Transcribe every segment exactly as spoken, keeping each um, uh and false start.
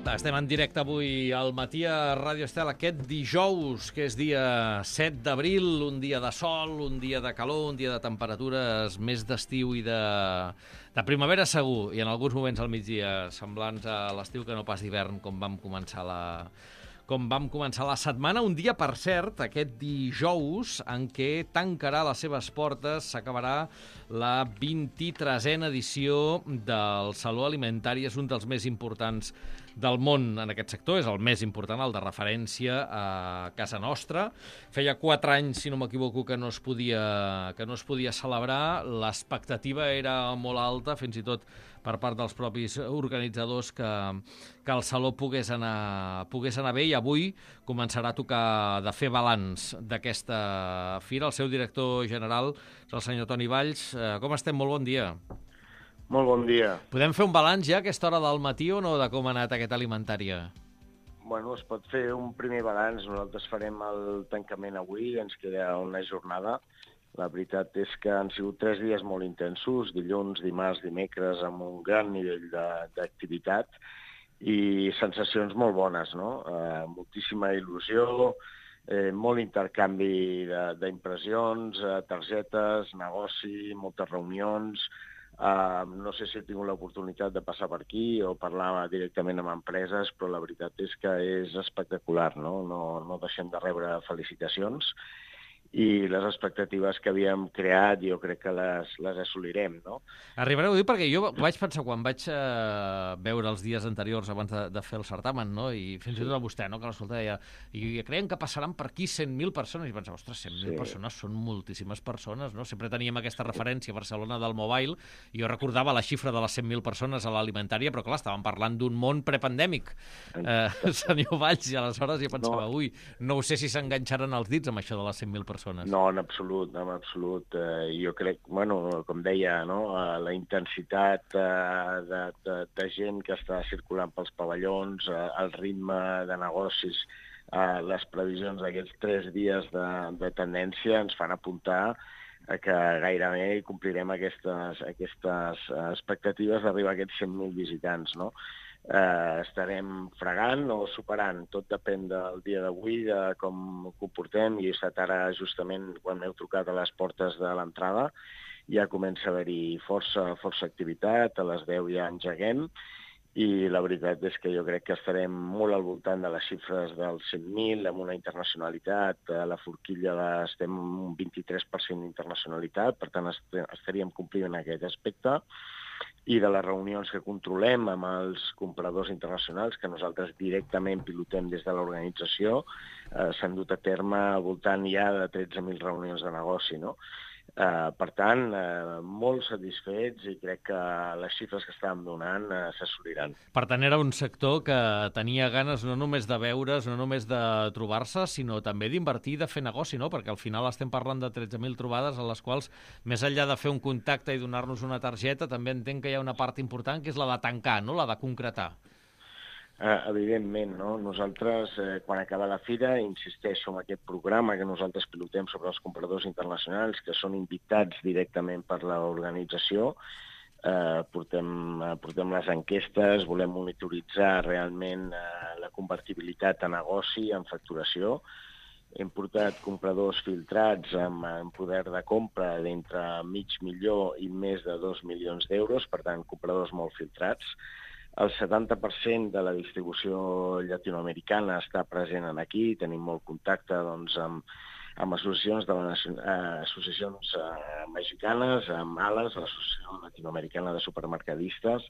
Estem en directe avui al matí a Ràdio Estel, aquest dijous, que és dia set d'abril, un dia de sol, un dia de calor, un dia de temperatures més d'estiu i de, de primavera segur, i en alguns moments al migdia semblants a l'estiu que no pas d'hivern, com vam començar la... com vam començar la setmana, un dia, per cert, aquest dijous, en què tancarà les seves portes, s'acabarà la vint-i-tresena edició del Saló Alimentari. És un dels més importants del món en aquest sector, és el més important, el de referència a casa nostra. Feia quatre anys, si no m'equivoco, que no es podia, que no es podia celebrar. L'expectativa era molt alta, fins i tot per part dels propis organitzadors, que, que el Saló pogués anar, pogués anar bé, i avui començarà a tocar de fer balanç d'aquesta fira. El seu director general és el senyor Toni Valls. Com estem? Molt bon dia. Molt bon dia. Podem fer un balanç ja a aquesta hora del matí o no, de com ha anat aquesta alimentària? Bueno, es pot fer un primer balanç. Nosaltres farem el tancament avui, ens queda una jornada. La veritat és que han sigut tres dies molt intensos, dilluns, dimarts, dimecres, amb un gran nivell d'activitat i sensacions molt bones, no? Eh, moltíssima il·lusió, eh, molt intercanvi d'impressions, eh, targetes, negoci, moltes reunions. Uh, no sé si he tingut l'oportunitat de passar per aquí o parlar directament amb empreses, però la veritat és que és espectacular, no? No, no deixem de rebre felicitacions i les expectatives que havíem creat jo crec que les, les assolirem, no? Arribareu a dir, perquè jo vaig pensar, quan vaig eh, veure els dies anteriors abans de, de fer el certamen, no? I fins i tot a vostè, no? Que l'escolta deia, i creiem que passaran per aquí cent mil persones, i pensava, ostres, cent mil sí. persones són moltíssimes persones, no? Sempre teníem aquesta referència a Barcelona del Mobile, i jo recordava la xifra de les cent mil persones a l'alimentària, però clar, estàvem parlant d'un món prepandèmic, eh, senyor Valls, i aleshores jo pensava, no. ui, no sé si s'enganxaran els dits amb això de les cent mil persones. No, en absolut, en absolut. Eh, jo crec, bueno, com deia, no? eh, la intensitat eh, de, de, de gent que està circulant pels pavellons, eh, el ritme de negocis, eh, les previsions d'aquests tres dies de, de tendència ens fan apuntar a que gairebé complirem aquestes, aquestes expectatives d'arribar a aquests cent mil visitants, no? Eh, estarem fregant o superant, tot depèn del dia d'avui, de com ho portem, i he estat ara justament quan m'heu trucat a les portes de l'entrada, ja comença a haver-hi força, força activitat, a les deu ja engeguem, i la veritat és que jo crec que estarem molt al voltant de les xifres dels cent mil, amb una internacionalitat, a la forquilla de, estem un vint-i-tres per cent d'internacionalitat, per tant estaríem complint aquest aspecte, i de les reunions que controlem amb els compradors internacionals, que nosaltres directament pilotem des de l'organització, eh, s'han dut a terme al voltant ja de tretze mil reunions de negoci, no? Eh, per tant, eh, molt satisfets, i crec que les xifres que estàvem donant eh, s'assoliran. Per tant, era un sector que tenia ganes no només de veure's, no només de trobar-se, sinó també d'invertir i de fer negoci, no? Perquè al final estem parlant de tretze mil trobades, a les quals, més enllà de fer un contacte i donar-nos una targeta, també entenc que hi ha una part important, que és la de tancar, no? La de concretar. Eh, evidentment, no? Nosaltres, eh, quan acaba la fira, insisteixo en aquest programa que nosaltres pilotem sobre els compradors internacionals, que són invitats directament per l'organització. Eh, portem, eh, portem les enquestes, volem monitoritzar realment eh, la convertibilitat a negoci, en facturació. Hem portat compradors filtrats amb, amb poder de compra d'entre mig milió i més de dos milions d'euros, per tant, compradors molt filtrats. El setanta per cent de la distribució llatinoamericana està present aquí, tenim molt contacte doncs, amb, amb associacions, de la, eh, associacions eh, mexicanes, amb ALAS, l'Associació Latinoamericana de Supermercadistes,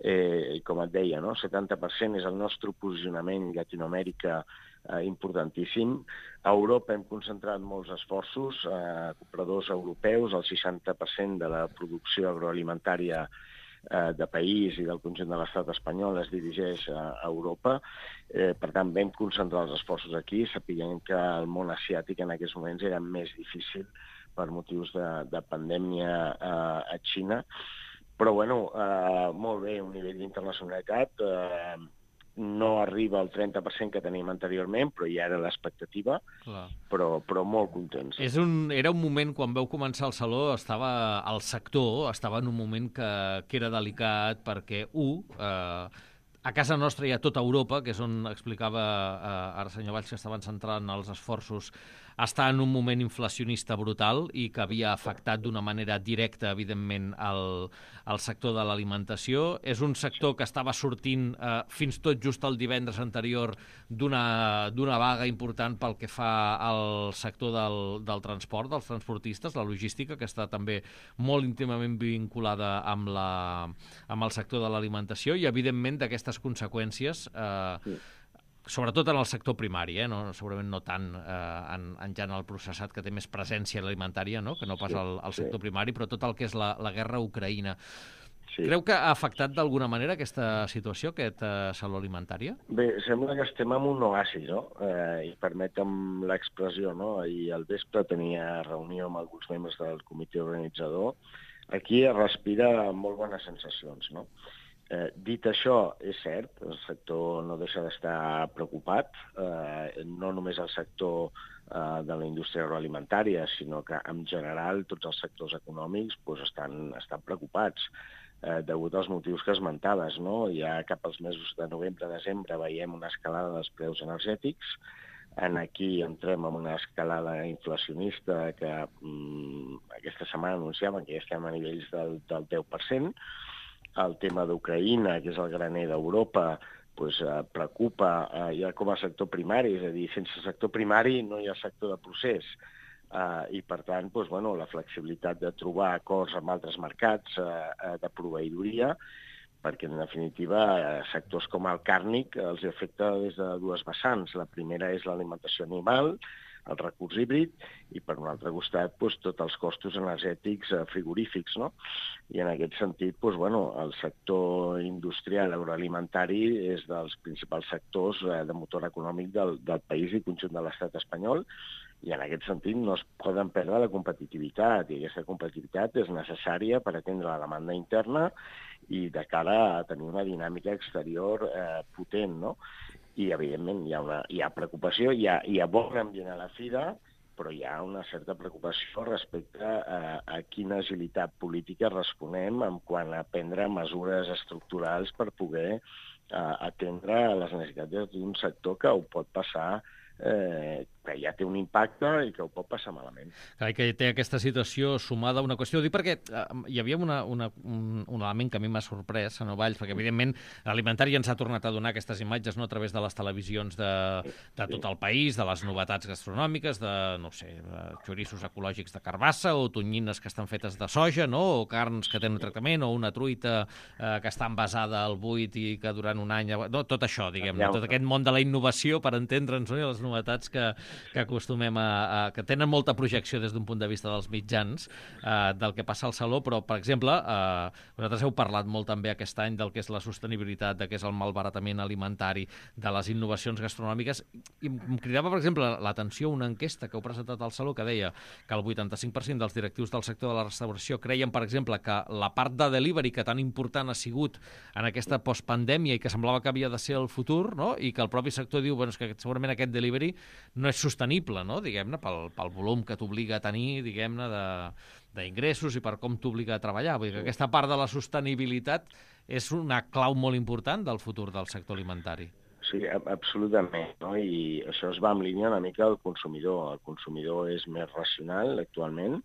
eh, i com et deia, no? setanta per cent és el nostre posicionament Llatinoamèrica eh, importantíssim. A Europa hem concentrat molts esforços, eh, compradors europeus, el seixanta per cent de la producció agroalimentària de país i del conjunt de l'estat espanyol es dirigeix a Europa. Eh, per tant, vam concentrar els esforços aquí, sapiguem que el món asiàtic en aquests moments era més difícil per motius de, de pandèmia eh, a Xina. Però, bueno, eh, molt bé, un nivell d'internacionalitat. Eh, no arriba al trenta per cent que teníem anteriorment, però ja era l'expectativa, però, però molt contents. És un, era un moment, quan vau començar el Saló, estava el sector estava en un moment que, que era delicat, perquè, un, eh, a casa nostra i a tota Europa, que és on explicava eh, ara senyor Valls que estaven centrant els esforços, està en un moment inflacionista brutal i que havia afectat d'una manera directa, evidentment, el, el sector de l'alimentació. És un sector que estava sortint eh, fins tot just el divendres anterior d'una d'una vaga important pel que fa al sector del, del transport, dels transportistes, la logística, que està també molt íntimament vinculada amb, la, amb el sector de l'alimentació i, evidentment, d'aquestes conseqüències eh, sí. Sobretot en el sector primari, eh? no, segurament no tant eh, en, en ja en el processat, que té més presència alimentària, no? Que no pas al, al sector sí. primari, però tot el que és la, la guerra a Ucraïna. Sí. Creu que ha afectat d'alguna manera aquesta situació, aquesta salut alimentària? Bé, sembla que estem en un oasi, no? Eh, I permetem l'expressió, no? I al vespre tenia reunió amb alguns membres del comitè organitzador. Aquí es respira molt bones sensacions, no? Eh, dit això, és cert, el sector no deixa d'estar preocupat, eh, no només el sector eh, de la indústria agroalimentària, sinó que en general tots els sectors econòmics pues, estan, estan preocupats eh, degut als motius que esmentaves, no? Ja cap als mesos de novembre-desembre veiem una escalada dels preus energètics. En aquí entrem en una escalada inflacionista que mm, aquesta setmana anunciaven que ja estem a nivells del, del deu per cent. El tema d'Ucraïna, que és el graner d'Europa, pues, eh, preocupa eh, ja com a sector primari, és a dir, sense sector primari no hi ha sector de procés. Eh, I, per tant, pues, bueno, la flexibilitat de trobar acords amb altres mercats eh, de proveïdoria, perquè, en definitiva, eh, sectors com el càrnic els afecta des de dues vessants. La primera és l'alimentació animal, el recurs híbrid, i per un altre costat doncs, tots els costos energètics eh, frigorífics, no? I en aquest sentit, doncs, bueno, el sector industrial agroalimentari és dels principals sectors eh, de motor econòmic del, del país i conjunt de l'estat espanyol, i en aquest sentit no es poden perdre la competitivitat, i aquesta competitivitat és necessària per atendre la demanda interna i de cara a tenir una dinàmica exterior eh, potent, no? I, evidentment, hi ha, una, hi ha preocupació, hi ha, hi ha bon ambient a la fira, però hi ha una certa preocupació respecte a, a quina agilitat política responem en quant a prendre mesures estructurals per poder uh, atendre les necessitats d'un sector que ho pot passar, eh, que ja té un impacte i que ho pot passar malament. Clar, que té aquesta situació sumada a una qüestió. Ho dic perquè eh, hi havia una, una, un, un element que a mi m'ha sorprès, senyor Valls, perquè evidentment l'alimentari ens ha tornat a donar aquestes imatges, no?, a través de les televisions de, de tot el país, de les novetats gastronòmiques, de, no sé, xoriços ecològics de carbassa, o tonyines que estan fetes de soja, no?, o carns que tenen un tractament, o una truita eh, que està envasada al buit i que durant un any... No, tot això, diguem-ne, tot aquest món de la innovació, per entendre'ns, no?, i les novetats que, que acostumem a, a... que tenen molta projecció des d'un punt de vista dels mitjans eh, del que passa al saló, però, per exemple, eh, vosaltres heu parlat molt també aquest any del que és la sostenibilitat, del que és el malbaratament alimentari, de les innovacions gastronòmiques, i em cridava, per exemple, l'atenció una enquesta que heu presentat al saló que deia que el vuitanta-cinc per cent dels directius del sector de la restauració creien, per exemple, que la part de delivery, que tan important ha sigut en aquesta postpandèmia i que semblava que havia de ser el futur, no?, i que el propi sector diu, bueno, és que segurament aquest delivery no és sostenible, no?, diguem-ne, pel, pel volum que t'obliga a tenir, diguem-ne, d'ingressos i per com t'obliga a treballar. Vull dir que aquesta part de la sostenibilitat és una clau molt important del futur del sector alimentari. Sí, absolutament, no? I això es va en línia una mica al consumidor. El consumidor és més racional actualment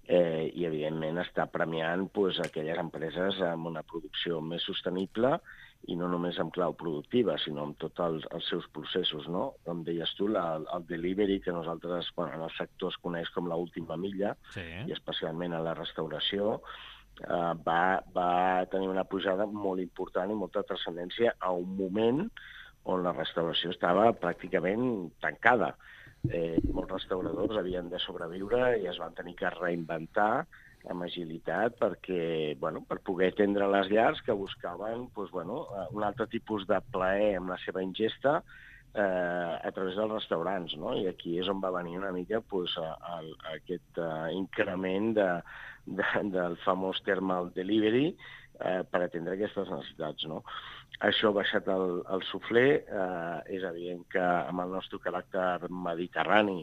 eh, i, evidentment, està premiant pues, aquelles empreses amb una producció més sostenible i no només en clau productiva, sinó amb tots els, els seus processos, no? Com deies tu, la, el delivery, que nosaltres, bueno, en el sector es coneix com l'última milla, sí. I especialment a la restauració, eh, va, va tenir una pujada molt important i molta transcendència a un moment on la restauració estava pràcticament tancada. Eh, molts restauradors havien de sobreviure i es van tenir que reinventar amb agilitat perquè, bueno, per poder atendre les llars que buscaven doncs, bueno, un altre tipus de plaer amb la seva ingesta eh, a través dels restaurants, no? I aquí és on va venir una mica doncs, el, aquest uh, increment de, de, del famós thermal delivery eh, per atendre aquestes necessitats, no? Això ha baixat el, el suflé, eh, és evident que amb el nostre caràcter mediterrani,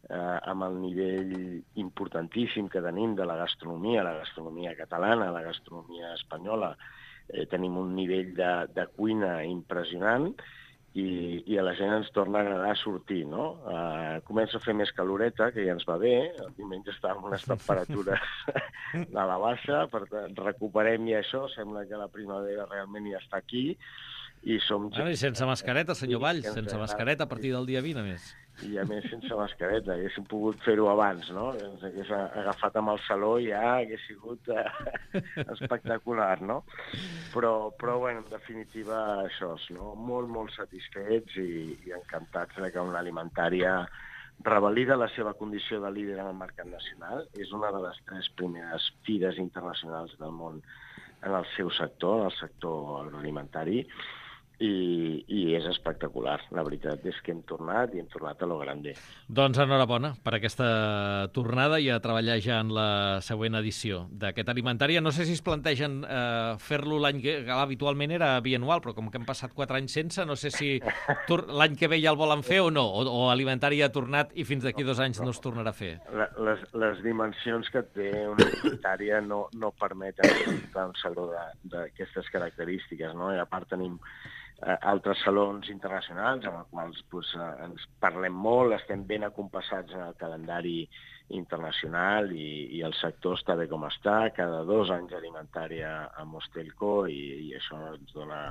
eh, amb el nivell importantíssim que tenim de la gastronomia, la gastronomia catalana, la gastronomia espanyola, eh, tenim un nivell de, de cuina impressionant, i, i a la gent ens torna a agradar sortir, no? Uh, comença a fer més caloreta, que ja ens va bé, el diumenge estàvem amb unes temperatures de la baixa, per tant, recuperem ja això, sembla que la primavera realment ja està aquí, i som... Bueno, i sense mascareta, senyor Valls, sense mascareta a partir del dia vint, a més. I a més sense mascareta, haguéssim pogut fer-ho abans, no? Ens hagués agafat amb el saló i ja hagués sigut eh, espectacular, no? Però, però bueno, en definitiva, això és, no? Molt, molt satisfets i, i encantats de que una alimentària revalida la seva condició de líder en el mercat nacional. És una de les tres primeres fires internacionals del món en el seu sector, en el sector agroalimentari, I, i és espectacular. La veritat és que hem tornat i hem tornat a lo grande. Doncs enhorabona per aquesta tornada i a treballar ja en la següent edició d'aquest alimentària. No sé si es plantegen eh, fer-lo l'any que habitualment era bianual, però com que hem passat quatre anys sense, no sé si l'any que ve ja el volen fer o no, o, o alimentària ha tornat i fins d'aquí dos anys no es tornarà a fer. Les, les dimensions que té una alimentària no, no permeten un saló d'aquestes característiques, no? I a part tenim altres salons internacionals amb els quals pues, ens parlem molt, estem ben acompassats en el calendari internacional i, i el sector està bé com està, cada dos anys alimentària a Mostelco i, i això ens dona,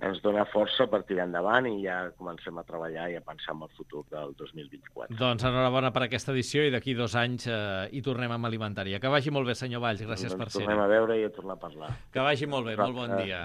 ens dona força per tirar endavant i ja comencem a treballar i a pensar en el futur del dos mil vint-i-quatre. Doncs enhorabona per aquesta edició i d'aquí dos anys eh, hi tornem amb alimentària. Que vagi molt bé, senyor Valls, gràcies doncs per ser-hi. Tornem a veure i a tornar a parlar. Que vagi molt bé, molt bon dia.